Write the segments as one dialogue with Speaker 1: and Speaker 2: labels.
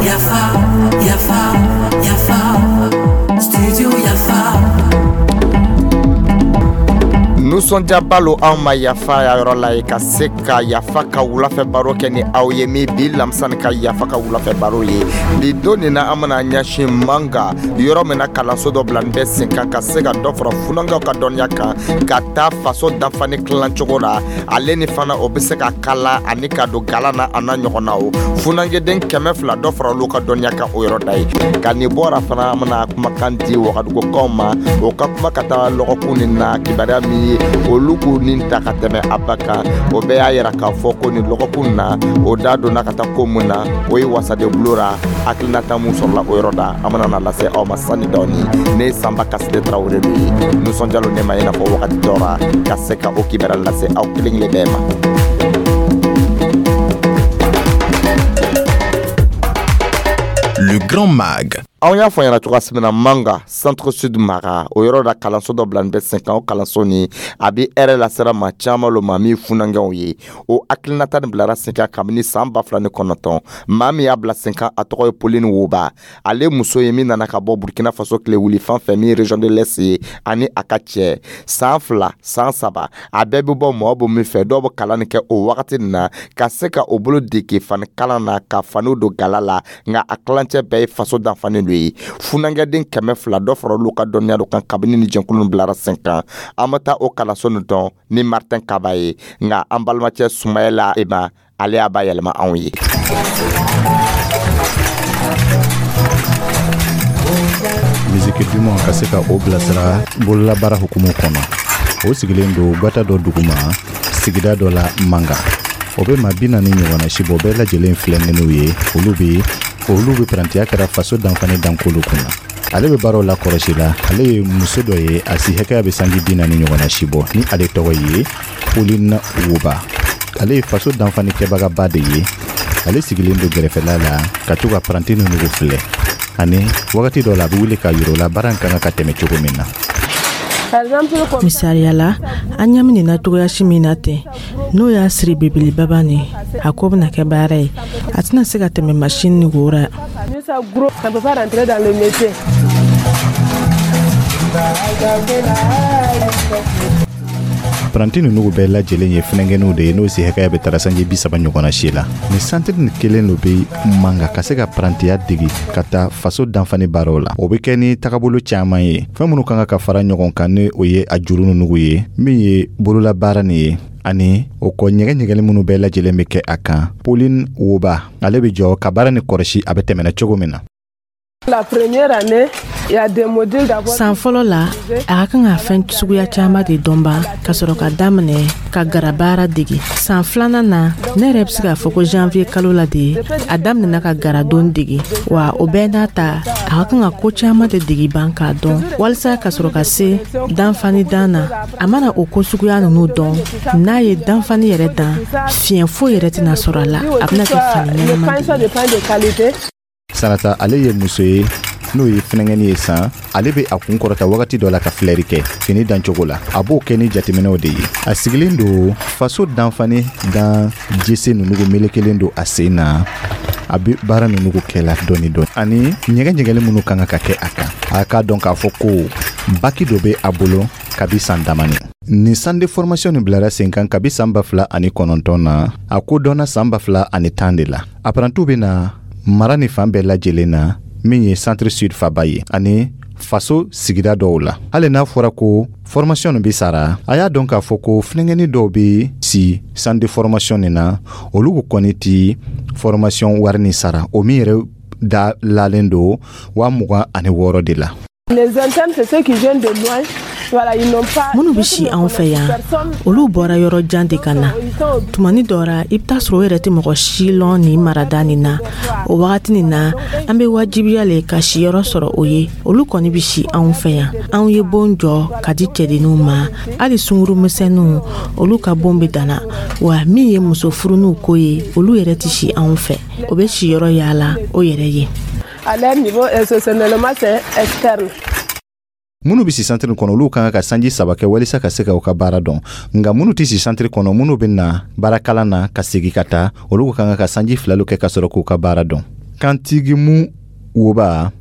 Speaker 1: Yafa, yafa, yafa, studio Yafa.
Speaker 2: Nisɔndiyaba lo anw ma Yafa ya yɔrɔ la ye ka se ka Yafa ka wulafɛ baro kɛ ni aw ye min bi lamisa ka Yafa ka wulafɛ baro ye. Bi don nin na, an bɛna ɲɛsin Manga, yɔrɔ min na kalanso dɔ bila bɛ sen kan ka se ka dɔ fara funankɛw ka dɔnniya kan ka taa faso danfani tilancogo la, ale ni fana o bɛ se ka kala ani ka don galan na, a n'a ɲɔgɔnna. O funankɛden 200, dɔ fara olu ka dɔnniya kan o yɔrɔ da ye. Ka nin bɔra fana, an bɛna kumakan di Wagadugukaw ma, o ka kuma ka taa lɔgɔkun nin na. Kibaruya min ye olu k'u nin ta ka tɛmɛ a ba kan, o bɛɛ y'a yira k'a fɔ ko nin lɔgɔkun na, o da donna ka taa ko mun na, o ye wasaden bulon ra hakilinata mun sɔrɔla o yɔrɔ da, an bɛna na lase aw ma sani dɔɔni. Ne ye Sanba Kasile Tarawele de ye. Nisɔndiyalo ne ma i n'a fɔ wagati dɔ ra ka se ka o kibaruya lase aw kelen kelen bɛɛ ma.
Speaker 3: Le Grand Mag.
Speaker 2: Anw y'a fɔ ɲɛna cogoya min na, Manga, Centre Sud mara, o yɔrɔ la kalanso dɔ bila bɛ sen kan. O kalanso ni a bɛ hɛrɛ lasera maa caman lo ma min funankɛw ye. O hakilinata nin bilara sen kan kabini san 2009. Maa min y'a bila sen kan, a tɔgɔ ye Pauline Woba. Ale muso ye min nana ka bɔ Burkina Faso tile wuli fan fɛ min région de l'Est ye, ani a ka cɛ. San 2, san 3, a bɛɛ bɛ bɔ mɔgɔ bɔ min fɛ, dɔw bɛ kalan nin kɛ o wagati nin na ka se ka o bolo dege fani kalan na, ka faniw don gala la. Nka a kilancɛ bɛɛ ye faso danfani do ye. Funankɛden 200, dɔ fara olu ka dɔnniya do kan kabini ni jɛnkulu bilara sen kan. An bɛ taa o kalanso nin dɔn ni Martin Kaba ye, nka an balimacɛ Sumayɛla Ema, ale y'a ba yɛlɛma anw ye.
Speaker 4: Misiki duman ka se ka o bilasira bololabaara hukumu kɔnɔ, o sigilen don gwata dɔ duguma sigida dɔ la Manga. O bɛ maa 40 ɲɔgɔnna si bɔ, bɛɛ lajɛlen filɛnenw ye. Olu bɛ parantiya kɛra faso danfani dankolu kunna. Ale bɛ baaraw la kɔlɔsi la. Ale ye muso dɔ ye, a si hakɛya bɛ sanji 40 ɲɔgɔnna si bɔ, ni ale tɔgɔ ye Pauline Woba. Ale ye faso danfani kɛbagaba de ye. Ale sigilen don gɛrɛfɛla la ka to ka paranti ninnu filɛ, ani wagati dɔ la a bɛ wuli ka yir'o la baara in ka kan ka tɛmɛ cogo min na.
Speaker 5: Misaliya la, an ɲɛ nin na cogoyasi min na ten, n'o y'a siri belebelebaba nin, a ko bɛna kɛ baara ye, a tɛna se ka tɛmɛ masini ni wo ra.
Speaker 6: Ça ne peut pas rentrer dans le métier.
Speaker 4: Paranti ninnu bɛɛ lajɛlen ye funɛnkɛninw de ye, n'o si hakɛya bɛ taara sanji 30 ɲɔgɔnna si la. Nin santiri nin kelen lo bɛ Manga ka se ka parantiya degi ka taa faso danfani baaraw la. O bɛ kɛ ni tagabolo caman ye, fɛn minnu kan ka fara ɲɔgɔn kan, ni o ye a juru ninnu ye, min ye bololabaara nin ye, ani o kɔ ɲɛgɛ ɲɛgɛli minnu bɛɛ lajɛlen bɛ kɛ a kan. Pauline Woba, ale bɛ jɔ ka baara ni kɔlɔsi a bɛ tɛmɛna cogo min na.
Speaker 6: La première année, il y a des modules d'abord.
Speaker 5: San fɔlɔ la, a ka kan ka fɛn suguya caman de dɔn ban ka sɔrɔ ka daminɛ ka garabaara dege. San filanan na, ne yɛrɛ bɛ se k'a fɔ ko janvier kalo la de a daminɛna ka garadon dege. Wa o bɛɛ n'a ta, a ka kan ka ko caman de dege ban k'a dɔn walisa ka sɔrɔ ka se danfani dan na. A mana o ko suguya ninnu dɔn, n'a ye danfani yɛrɛ dan, fiɲɛ foyi yɛrɛ tɛna sɔrɔ a la, a bɛna kɛ fani ɲɛnama de ye.
Speaker 4: Sanata, ale ye muso ye n'o ye funɛngɛni ye san. Ale bɛ a kun kɔrɔta wagati dɔ la ka filɛri kɛ fini dancogo la. A b'o kɛ ni jateminɛw de ye. A sigilen don faso danfani dan jese ninnu melekelen don a sen na. A bɛ baara ninnu kɛla dɔɔni dɔɔni, ani ɲɛgɛ ɲɛgɛli minnu kan ka kɛ a kan. A k'a dɔn k'a fɔ ko baki dɔ bɛ a bolo kabi san damani. Nin centre de formation nin bilara sen kan kabi san 2009 na. A ko dɔnna san 2010 de la. Apparentis bɛ na mara ni fan bɛɛ lajɛlen na, min ye Centre Sud faba ye ani faso sigida dɔw la. Hali n'a fɔra ko formation nin bɛ sara, a y'a dɔn k'a fɔ ko funɛngɛni dɔw bɛ si centre de formation nin na, olu kɔni ti formation wari nin sara, o min yɛrɛ da lalen don 26,000 de la.
Speaker 6: Les internes, c'est ceux qui viennent de loin. Voilà, ils n'ont pas.
Speaker 5: Minnu bɛ si anw fɛ yan, olu bɔra yɔrɔ jan de ka na. Tumani dɔ ra, i bɛ taa sɔrɔ o yɛrɛ tɛ mɔgɔ si lɔn nin marada nin na. O wagati nin na, an bɛ wajibiya le ka siyɔrɔ sɔrɔ o ye. Olu kɔni bɛ si anw fɛ yan. Anw ye bon jɔ ka di cɛdenninw ma, hali sunguru misɛnninw, olu ka bon bɛ danna. Wa min ye muso furuninw ko ye, olu yɛrɛ tɛ si anw fɛ, o bɛ siyɔrɔ yaala o yɛrɛ ye.
Speaker 6: À leur niveau, institutionnellement, c'est externe.
Speaker 4: Minnu bɛ si santiri kɔnɔ, olu kan ka sanji 3 kɛ walisa ka se ka u ka baara dɔn. Nka minnu tɛ si santiri kɔnɔ, minnu bɛ na baarakalan na ka segin ka taa, olu kan ka sanji 2 kɛ ka sɔrɔ k'u ka baara dɔn. Kantigimu Woba,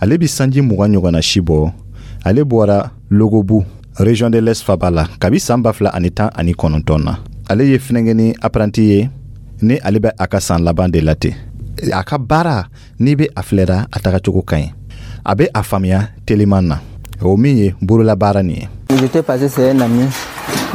Speaker 4: ale bɛ sanji 20 ɲɔgɔnna si bɔ. Ale bɔra Logobu, région de l'Est faba la, kabi san 2019 na. Ale ye finɛngɛni apprenti ye, ni ale bɛ a ka san laban de la ten. A ka baara, n'i bɛ a filɛra, a tagacogo ka ɲi, a bɛ a faamuya teliman na, o min ye bololabaara nin ye.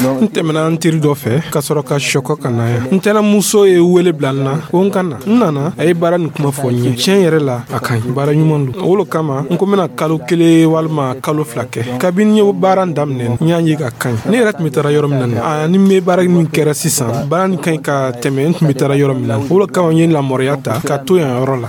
Speaker 7: N tɛmɛna n teri dɔ fɛ ka sɔrɔ ka sɔkɔ ka na yan. N tɛnɛmuso ye wele bila n na ko n ka na. N nana, a ye baara nin kuma fɔ n ye. Tiɲɛ yɛrɛ la, a ka ɲi, baara ɲuman don. O lo kama n ko n bɛna kalo 1 walima kalo 2 kɛ. Kabini n ye baara daminɛ, n y'a ye ka ka ɲi. Ne yɛrɛ tun bɛ taara yɔrɔ min na, ni n bɛ baara min kɛra sisan, baara nin ka ɲi ka tɛmɛ n tun bɛ taara yɔrɔ min na. O lo kama n ye lamɔrɔya ta ka to yan yɔrɔ la.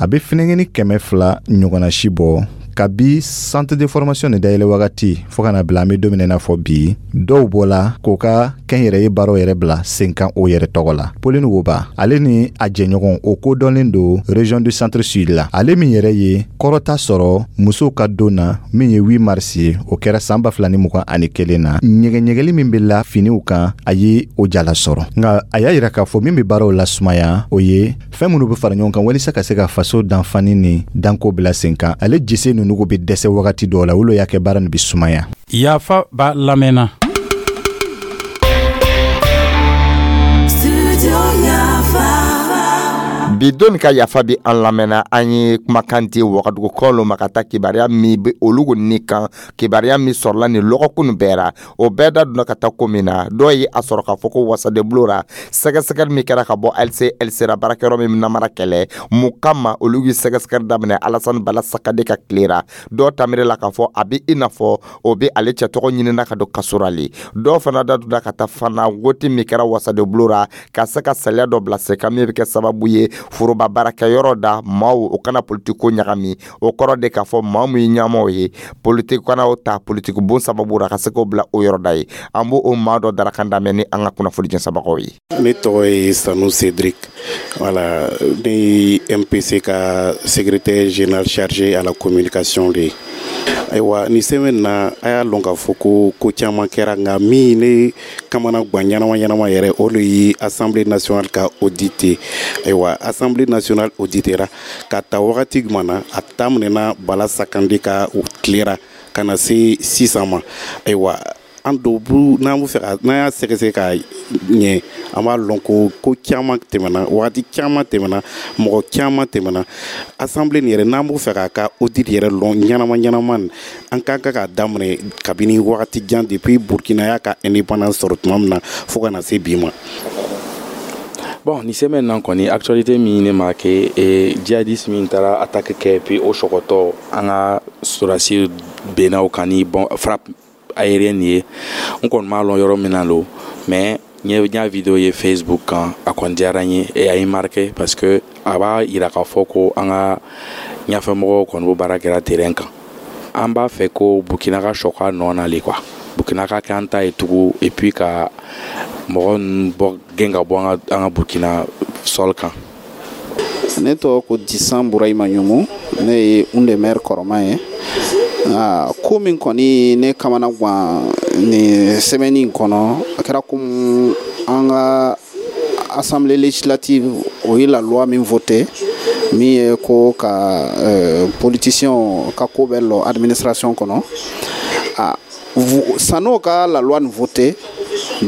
Speaker 4: A bɛ finɛngɛni 200 ɲɔgɔnna si bɔ kabi centre de formation nin dayɛlɛ wagati fo ka na bila an bɛ don min na fɔ bi. Dɔw bɔla k'o ka kɛnyɛrɛye baaraw yɛrɛ bila sen kan o yɛrɛ tɔgɔ la. Pauline Woba, ale ni a jɛɲɔgɔn, o kodɔnlen don région du centre sud la. Ale min yɛrɛ ye kɔrɔta sɔrɔ musow ka don na, min ye 8 mars ye, o kɛra san 2021 na. Ɲɛgɛɲɛgɛli min bɛ la finiw kan, a ye o jala sɔrɔ. Nka a y'a yira k'a fɔ min bɛ baaraw lasumaya, o ye fɛn minnu bɛ fara ɲɔgɔn kan walisa ka se ka faso danfani ni danko bila sen kan. Ale jise ninnu bɛ dɛsɛ wagati dɔw la, olu y'a kɛ baara nin bɛ sumaya.
Speaker 8: Yafa b'a lamɛnna.
Speaker 2: Bi don ka yafa bi an lamɛnna, an ye kumakan di wagadugukaw lo ma ka taa kibaruya min bɛ olu ni kan, kibaruya min sɔrɔla nin lɔgɔkun bɛɛ ra, o bɛɛ da donna ka taa ko min na. Dɔw ye a sɔrɔ k'a fɔ ko wasadenbulon ra, sɛgɛsɛgɛli min kɛra ka bɔ LCLC ra, baarakɛyɔrɔ min namara kɛlɛ mun kama, olu ye sɛgɛsɛgɛli daminɛ Alassane Bala Sakade ka tile ra. Dɔw tamire la k'a fɔ a bɛ i n'a fɔ o bɛ ale cɛ tɔgɔ ɲinina ka don kaso ra le. Dɔw fana da donna ka taa fana wote min kɛra wasadenbulon ra ka se ka saliya dɔ bila sen kan min bɛ kɛ sababu ye foroba baarakɛyɔrɔ da maaw o kana politiko ɲagami. O kɔrɔ de k'a fɔ maa min ye ɲɛmaaw ye politiki kana o ta politiki bon sababu ra ka se k'o bila o yɔrɔ da ye. An b'o o maa dɔ darakan daminɛ ni an ka kunnafoni jɛnsɛnbagaw ye.
Speaker 9: Ne tɔgɔ ye Sanu Cédric, voilà, ne ye MPC ka secrétaire général chargé à la communication de ye. Ayiwa, nin semaine na, a y'a lɔn k'a fɔ ko ko caman kɛra, nka min ne kamana gan ɲɛnama ɲɛnama yɛrɛ, o de ye Assemblée nationale ka audit ye. Ayiwa, Assemblée nationale auditera ka ta wagati jumɛn na? A daminɛna Bala Sakande ka tilera ka na se sisan ma. Ayiwa, an dɔw bu n'an bɛ fɛ ka n'an y'a sɛgɛsɛgɛ ka ɲɛ, an b'a lɔn ko ko caman tɛmɛna, wagati caman tɛmɛna, mɔgɔ caman tɛmɛna. Assemblée nin yɛrɛ, n'an b'o fɛ k'a ka audit yɛrɛ lɔn ɲɛnama ɲɛnama, an kan ka k'a daminɛ kabini wagati jan, depuis Burkina y'a ka indépendance sɔrɔ tuma min na fo ka na se bi ma.
Speaker 10: Bon, ni semaine na kɔni, actualité min ne marqué, et djihadiste min taara attaque kɛ, puis o sɔgɔtɔ an ka sɔrɔdasi benna o kan ni bon frappe aérienne ye. N kɔni m'a lɔn yɔrɔ min na lo, mais n y'a vidéo ye Facebook kan, a kɔni diyara n ye et a ye marqué parce que a b'a yira k'a fɔ ko an ka ɲɛfɛmɔgɔw kɔni b'o baara kɛra terrain kan. An b'a fɛ ko Burkina ka sɔkɔ a nɔ na le quoi, Burkina ka kɛ an ta ye tugun, et puis ka mɔgɔ ninnu bɔ gɛn ka bɔ an ka Burkina sol kan.
Speaker 11: Ne tɔgɔ ko Disan Burahima Ɲumu, ne ye un de maire kɔrɔma ye. Ko min kɔni ne kamana gan nin semaine in kɔnɔ, a kɛra komi an ka assemblée législative o ye la loi min voté, min ye ko ka politicien ka ko bɛ lɔ administration kɔnɔ. San'o ka la loi nin voté,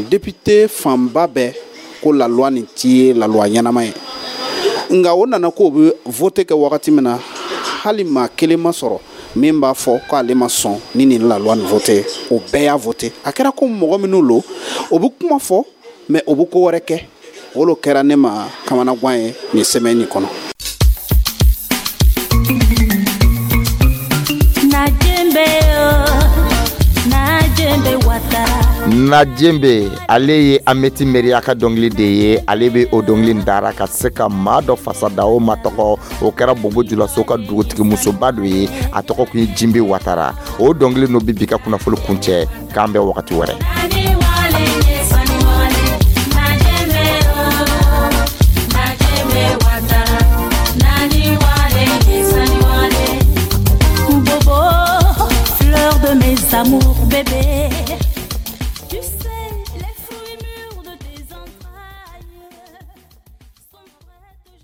Speaker 11: député fanba bɛɛ ko la loi nin ti ye la loi ɲɛnama ye. Nka o nana k'o bɛ voté kɛ wagati min na, hali maa kelen ma sɔrɔ min b'a fɔ k'ale ma sɔn ni nin la loi nin voté. O bɛɛ y'a voté. A kɛra ko mɔgɔ minnu lo, o bɛ kuma fɔ mais o bɛ ko wɛrɛ kɛ. O lo kɛra ne ma kamanagan ye nin semaine nin kɔnɔ.
Speaker 2: Najembe, ale ye Ameti Meriya ka dɔnkili de ye. Ale bɛ o dɔnkili dara ka se ka maa dɔ fasa da, o ma tɔgɔ, o kɛra Bobo Julaso ka dugutigi musoba dɔ ye, a tɔgɔ kun ye Jimbe Watara. O dɔnkili n'o bɛ bi ka kunnafoni kuncɛ. K'an bɛn wagati wɛrɛ.
Speaker 1: amour, bébé.